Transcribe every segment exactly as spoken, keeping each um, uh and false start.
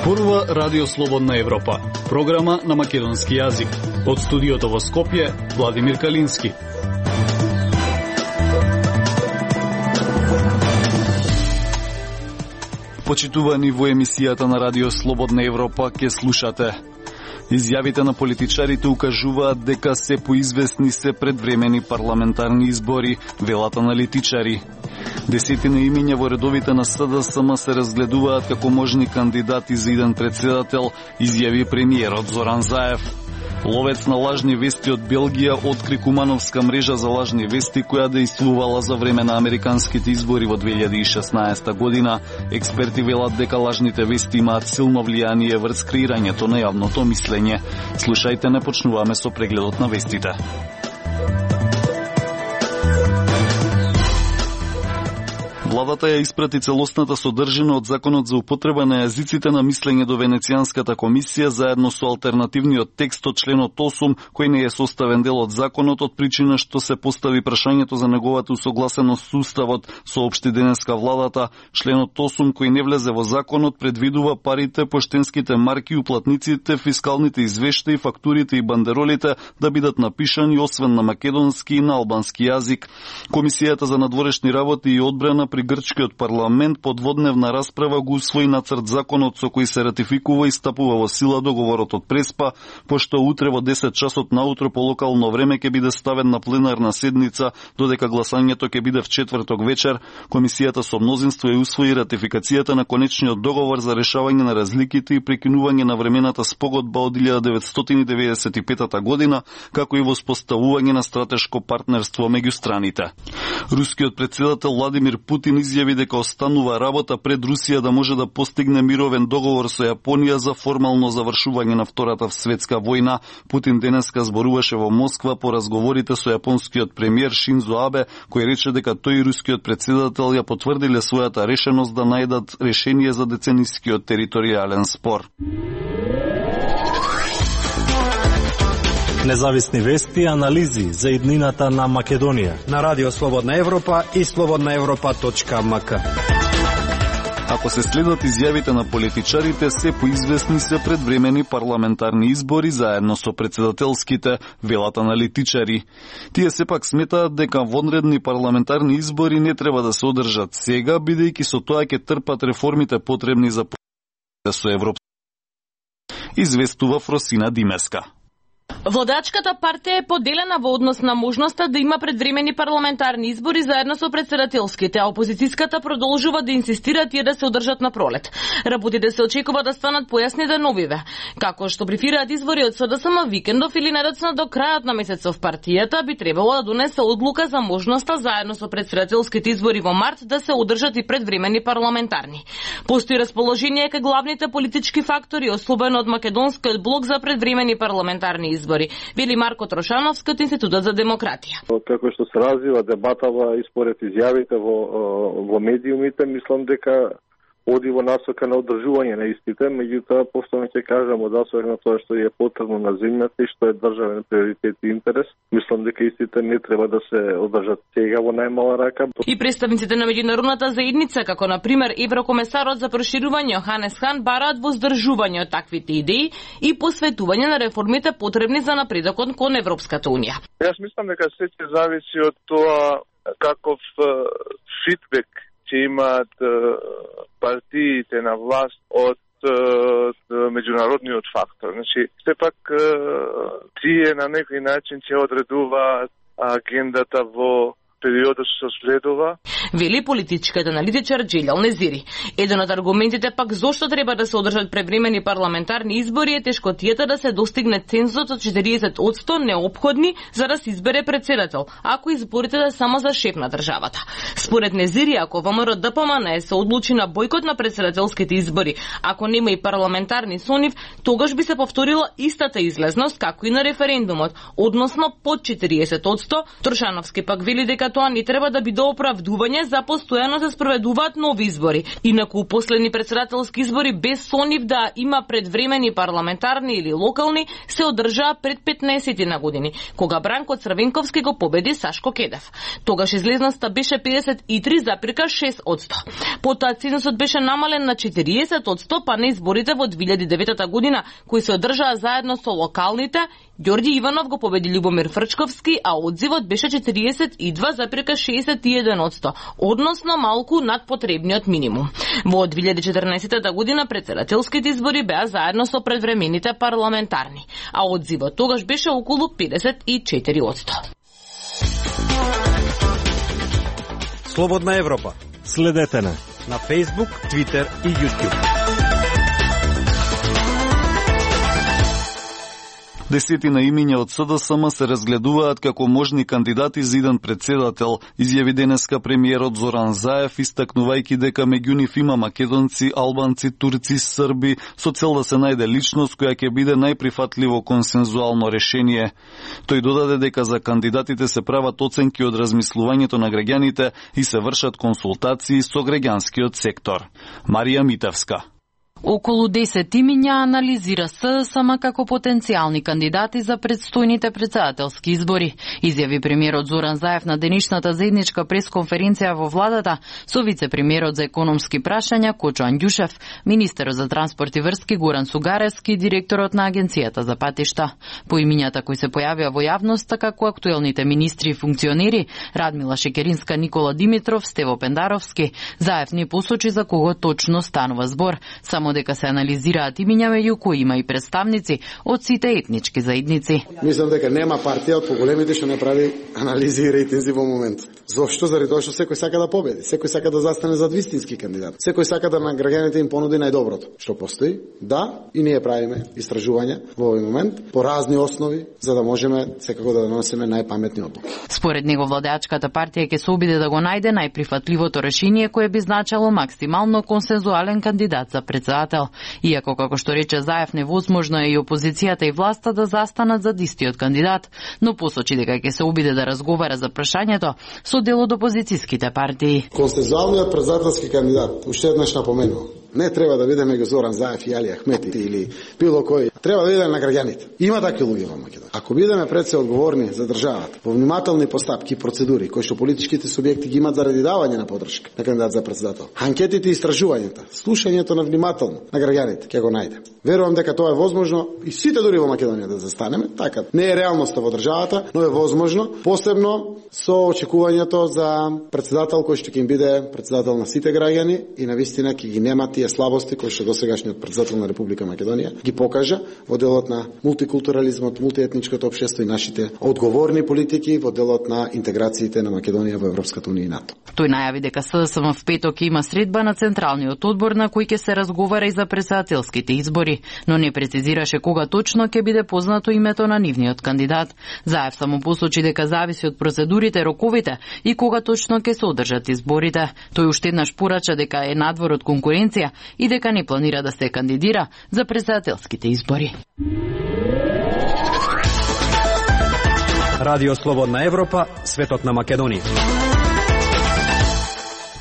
Зборува Радио Слободна Европа, програма на македонски јазик. Од студиото во Скопје, Владимир Калински. Почитувани во емисијата на Радио Слободна Европа ке слушате. Изјавите на политичарите укажуваат дека се поизвестни се предвремени парламентарни избори, велат аналитичари. Десетина имиња во редовите на СДСМ се разгледуваат како можни кандидати за иден председател, изјави премиерот Зоран Заев. Ловец на лажни вести од Белгија откри кумановска мрежа за лажни вести која дејствувала за време на американските избори во две илјади и шеснаесета година. Експерти велат дека лажните вести имаат силно влијание врз креирањето на јавното мислење. Слушајте, не почнуваме со прегледот на вестите. Владата ја испрати целосната содржина од Законот за употреба на јазиците на мислење до Венецијанската комисија заедно со алтернативниот текст од членот осум, кој не е составен дел од законот од причина што се постави прашањето за неговата усогласеност со уставот, соопшти денеска владата. Членот осум кој не влезе во законот предвидува парите, поштенските марки, уплатниците, фискалните извештаи, фактурите и бандеролите да бидат напишани освен на македонски и на албански јазик. Комисијата за надворешни работи и одбрана при Грчкиот парламент по дводневна расправа го усвои нацрт законот со кој се ратификува и стапува во сила договорот од Преспа, пошто утре во десет часот наутро по локално време ќе биде ставен на пленарна седница, додека гласањето ќе биде в четврток вечер. Комисијата со мнозинство ја усвои ратификацијата на конечниот договор за решавање на разликите и прекинување на времената спогодба од илјада деветстотини деветдесет и петата година, како и воспоставување на стратешко партнерство меѓу страните. Рускиот председател Владимир Путин изјави дека останува работа пред Русија да може да постигне мировен договор со Јапонија за формално завршување на Втората светска војна. Путин денеска зборуваше во Москва по разговорите со јапонскиот премиер Шинзо Абе, кој рече дека тој и рускиот председател ја потврдиле својата решеност да најдат решение за деценискиот територијален спор. Независни вести и анализи за иднината на Македонија на Радио Слободна Европа и слободна европа точка ем ка. Ако се следат изјавите на политичарите, се поизвестни се предвремени парламентарни избори заедно со председателските, велат аналитичари. Тие сепак сметаат дека вонредни парламентарни избори не треба да се одржат сега, бидејќи со тоа ќе трпат реформите потребни за со Европа. Известува Фросина Димеска. Владачката партија е поделена во однос на можноста да има предвремени парламентарни избори заедно со председателските, а опозицијската продолжува да инсистира тие да се одржат на пролет. Работите се очекува да станат појасни деновиве. Како што префираат избори од СДСМ викендов или најдоцна до крајот на месецов, партијата би требало да донесе одлука за можноста заедно со председателските избори во март да се одржат и предвремени парламентарни. Постои расположение кај главните политички фактори, особено од македонскиот блок за предвремени парламентарни избори. Избори, вели Марко Трошановски од Институтот за демократија. Како што се развива дебатава и според изјавите во, во медиумите, мислам дека оди во насока на одржување на истите, меѓутоа повторно ќе кажам од асока на тоа што е потребно на земјата и што е државен приоритет и интерес. Мислам дека истите не треба да се одржат сега во најмала рака. И представниците на меѓународната заедница, како на пример Еврокомесарот за проширување Йоханес Хан, бараат возддржување од таквите идеи и посветување на реформите потребни за напредокот кон Европската унија. Јас мислам дека се ќе зависи од тоа каков фидбек ќе имаат партиите на власт од меѓународниот фактор. Значи, сепак тие на некој начин ќе одредуваат агендата во периодот што следува. Вели политичкиот аналитичар Джилјал Незири. Еден од аргументите пак зошто треба да се одржат превремени парламентарни избори е тешкотијата да се достигне цензусот од четириесет одстотини неопходни за да се избере председател, ако изборите да само за шеф на државата. Според Незири, ако ВМРО Д П М Н се одлучи на бојкот на председателските избори, ако нема и парламентарни со нив, тогаш би се повторила истата излезност како и на референдумот, односно под четириесет одсто. Трошановски пак вели дека тоа не треба да биде оправдување за постојано се спроведуваат нови избори. Инаку последни председателски избори без со нив да има предвремени парламентарни или локални се одржаа пред петнаесет на години, кога Бранко Црвенковски го победи Сашко Кедев. Тогаш излезноста беше педесет и три запирка шест одсто. Потоа цензусот беше намален на четириесет одсто, па на изборите во две илјади и девета година, кои се одржаа заедно со локалните, Ѓорѓи Иванов го победи Љубомир Фрчковски, а одзивот беше четириесет и два запирка шеесет и еден одсто, односно малку над потребниот минимум. Во две илјади и четрнаесета година председателските избори беа заедно со предвремените парламентарни, а одзивот тогаш беше околу педесет и четири одсто. Слободна Европа. Следете на на Facebook, Twitter и YouTube. Десетина имиња од СДСМ се разгледуваат како можни кандидати за иден председател, изјави денеска премиерот Зоран Заев, истакнувајќи дека меѓу нив има македонци, албанци, турци, срби, со цел да се најде личност која ќе биде најприфатливо консензуално решение. Тој додаде дека за кандидатите се прават оценки од размислувањето на граѓаните и се вршат консултации со граѓанскиот сектор. Марија Митевска. Околу десет имиња анализира СДСМ како потенцијални кандидати за предстојните председателски избори, изјави премиерот Зоран Заев на денешната заедничка пресконференција во владата со вице-премиерот за економски прашања Кочо Андјушев, министерот за транспорт и врски Горан Сугаревски и директорот на Агенцијата за патишта. По имињата кои се појавија во јавноста како актуелните министри и функционери Радмила Шекеринска, Никола Димитров, Стево Пендаровски, Заев не посочи за кого точно станува збор, само дека се анализираат имиња меѓу кои има и представници од сите етнички заедници. Мислам дека нема партија од поголемите што не прави анализи и рейтинзи во моментот. Зошто? Заради тоа што секој сака да победи, секој сака да застане зад вистински кандидат. Секој сака да на граѓаните им понуди најдоброто што постои. Да, и ние правиме истражувања во овој момент по разни основи за да можеме секако да донесеме најпаметни одлуки. Според него владеачката партија ќе се обиде да го најде најприфатливото решение кое би значило максимално консензуален кандидат за председател. Иако, како што рече Заев, невозможно е и опозицијата и власта да застанат за истиот кандидат, но посочи дека ќе се обиде да разговара за прашањето со дел од опозицијските партии. Консензуалниот председателски кандидат, уште еднаш напоменувам, не треба да биде меѓу Зоран Заев и Али Ахмети или било кој. Треба да биде на граѓаните. Има такви луѓе во Македонија. Ако бидеме пред се одговорни за државата, во внимателни постапки и процедури кои што политичките субјекти ги имаат заради давање на поддршка на кандидат за председател, анкетите и истражувањата, слушањето на внимателно на граѓаните, ќе го најде. Верувам дека тоа е возможно и сите дури во Македонија да застанеме. Така не е реалноста во државата, но е возможно, посебно со очекувањето за председател кој што ќе им биде председател на сите граѓани и навистина ќе ги нема тие слабости кои што досегашниот председател на Република Македонија ги покажа во делот на мултикултурализмот, мултиетничкото општество и нашите одговорни политики во делот на интеграциите на Македонија во Европската унија и НАТО. Тој најави дека СДСМ в петок има средба на Централниот одбор на кој ќе се разговара и за председателските избори, но не прецизираше кога точно ќе биде познато името на нивниот кандидат. Заев само посочи дека зависи од процедурите, роковите и кога точно ќе се одржат изборите. Тој уште еднаш порача дека е надвор од конкуренција и дека не планира да се кандидира за председателските избори. Радио Слободна Европа, светот на Македонија.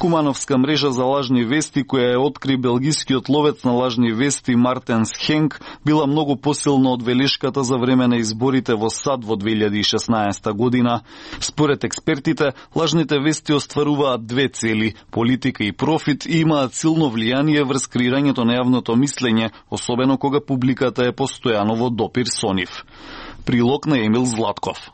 Кумановска мрежа за лажни вести, која ја откри белгискиот ловец на лажни вести Мартенс Хенк, била многу посилна од велешката за време на изборите во САД во две илјади и шеснаесета година. Според експертите, лажните вести остваруваат две цели – политика и профит, и имаат силно влијание врз креирањето на јавното мислење, особено кога публиката е постојано во допир со нив. Прилог на Емил Златков.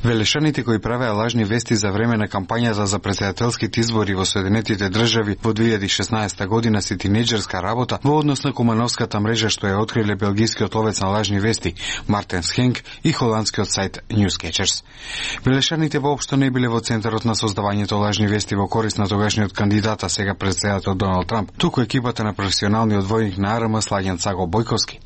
Велешаните кои правеа лажни вести за време на кампањата за председателските избори во Соединетите држави во две илјади и шеснаесета година се тинеџерска работа во однос на Кумановската мрежа што ја откриле белгискиот ловец на лажни вести Мартенс Хенк и холандскиот сајт Newscatchers. Велешаните воопшто не биле во центарот на создавањето лажни вести во корист на тогашниот кандидата, сега председател Доналд Трамп, туку екипата на професионалниот војник на АРМ Слагјан Цаго Бојковски.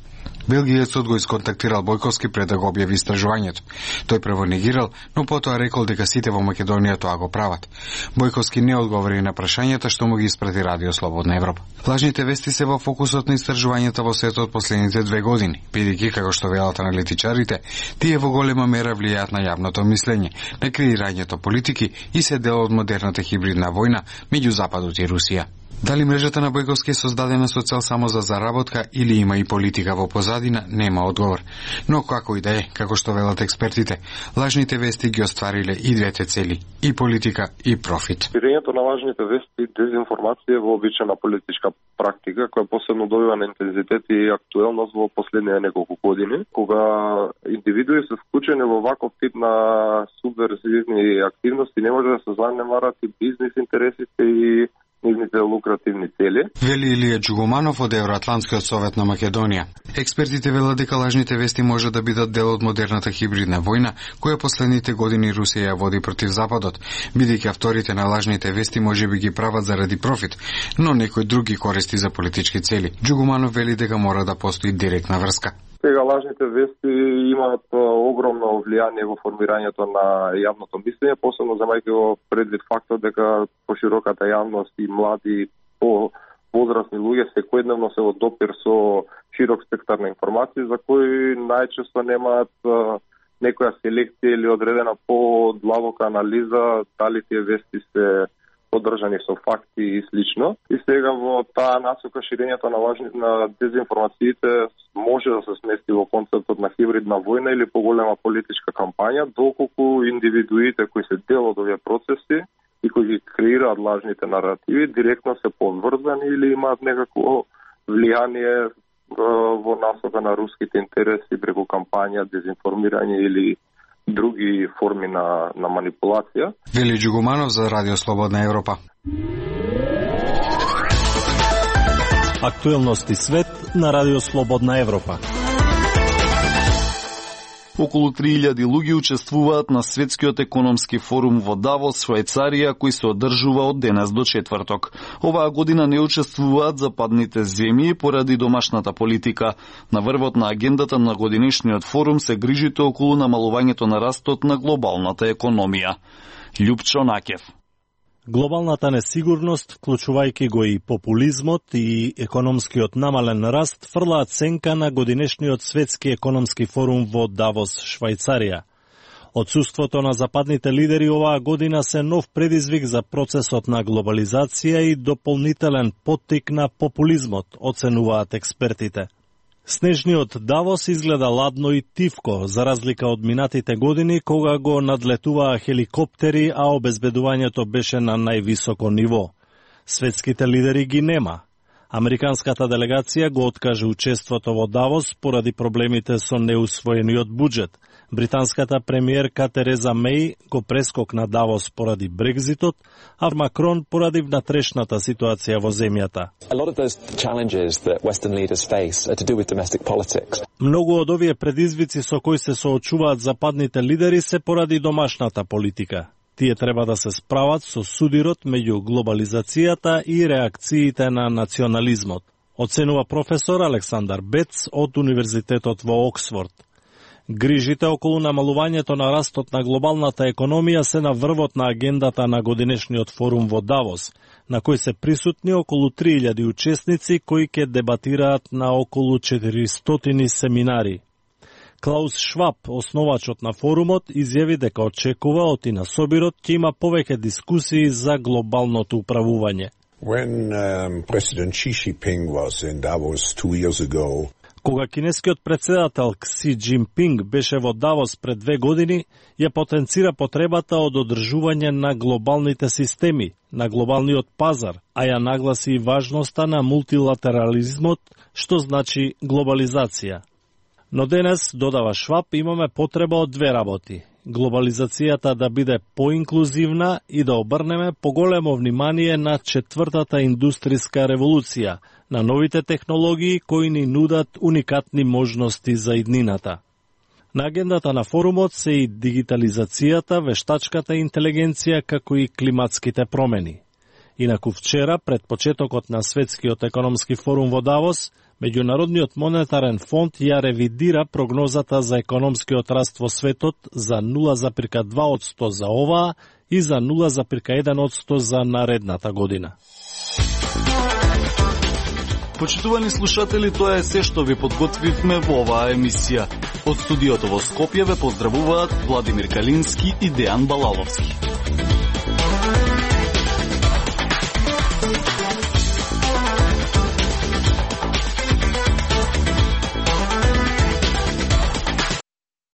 Белгиецот го исконтактирал Бојковски пред да го објави истражувањето. Тој прво негирал, но потоа рекол дека сите во Македонија тоа го прават. Бојковски не одговори на прашањата што му ги испрати Радио Слободна Европа. Лажните вести се во фокусот на истражувањата во светот последните две години, бидејќи како што велат аналитичарите, тие во голема мера влијаат на јавното мислење, на креирањето политики и се дел од модерната хибридна војна меѓу Западот и Русија. Дали мрежата на Бојковски е создадена со цел само за заработка или има и политика во позадина, нема одговор. Но како и да е, како што велат експертите, лажните вести ги оствариле и двете цели, и политика и профит. Ширењето на лажните вести и дезинформација е вообичаена политичка практика која посебно добива на интензитет и актуелност во последните неколку години, кога индивидуи се вклучени во ваков тип на субверзивни активности, не може да се занемарат и бизнис интересите и нивните лукративни цели. Вели Илија Џугуманов од Евроатлантскиот совет на Македонија. Експертите велат дека лажните вести може да бидат дел од модерната хибридна војна која последните години Русија ја води против Западот, бидејќи авторите на лажните вести може би ги прават заради профит, но некои други користи за политички цели. Џугуманов вели дека мора да постои директна врска. Сега лажните вести имаат огромно влијание во формирањето на јавното мислење, посебно земајќи го предвид фактот дека пошироката јавност и млади по возрастни луѓе секојдневно се во допир со широк спектар на информации за кои најчесто немаат некоја селекција или одредена подлабока анализа дали тие вести се поддржани со факти и слично. И сега во таа насока ширењето на лажни на дезинформациите може да се смести во концептот на хибридна војна или поголема политичка кампања, доколку индивидуите кои се дел од овие процеси и кои ги креираат лажните наративи директно се поврзани или имаат некакво влијание во насока на руските интереси преку кампања, дезинформирање или други форми на, на манипулација. Вели Џугуманов за Радио Слободна Европа. Актуелности свет на Радио Слободна Европа. Околу три илјади луѓе учествуваат на Светскиот економски форум во Давос, Швајцарија, кој се одржува од денес до четврток. Оваа година не учествуваат западните земји поради домашната политика. На врвот на агендата на годинешниот форум се грижите околу намалувањето на растот на глобалната економија. Љупчо Накев. Глобалната несигурност, вклучувајќи го и популизмот и економскиот намален раст, фрлаат сенка на годинешниот Светски економски форум во Давос, Швајцарија. Отсуството на западните лидери оваа година се нов предизвик за процесот на глобализација и дополнителен поттик на популизмот, оценуваат експертите. Снежниот Давос изгледа ладно и тивко, за разлика од минатите години, кога го надлетуваа хеликоптери, а обезбедувањето беше на највисоко ниво. Светските лидери ги нема. Американската делегација го откаже учеството во Давос поради проблемите со неусвоениот буџет. Британската премиерка Тереза Меј го прескокна Давос поради Брекзитот, а Макрон поради внатрешната ситуација во земјата. Многу од овие предизвици со кои се соочуваат западните лидери се поради домашната политика. Тие треба да се справат со судирот меѓу глобализацијата и реакциите на национализмот, оценува професор Александар Бец од Универзитетот во Оксфорд. Грижите околу намалувањето на растот на глобалната економија се на врвот на агендата на годинешниот форум во Давос, на кој се присутни околу три илјади учесници кои ќе дебатираат на околу четиристотини семинари. Клаус Шваб, основачот на форумот, изјави дека очекува од и на собирот ќе има повеќе дискусии за глобалното управување. When um, President Xi Jinping was in Davos two years ago, Кога кинескиот председател Кси Џинпинг беше во Давос пред две години, ја потенцира потребата од одржување на глобалните системи, на глобалниот пазар, а ја нагласи и важноста на мултилатерализмот, што значи глобализација. Но денес, додава Шваб, имаме потреба од две работи. Глобализацијата да биде поинклузивна и да обрнеме поголемо внимание на четвртата индустријска револуција, на новите технологии кои ни нудат уникатни можности за иднината. На агендата на форумот се и дигитализацијата, вештачката интелигенција, како и климатските промени. Инаку вчера, пред почетокот на Светскиот економски форум во Давос, Меѓународниот монетарен фонд ја ревидира прогнозата за економскиот раст во светот за нула запирка два одсто за оваа и за нула запирка еден одсто за наредната година. Почитувани слушатели, тоа е се што ви подготвивме во оваа емисија. Од студиото во Скопје ве поздравуваат Владимир Калински и Дејан Балаловски.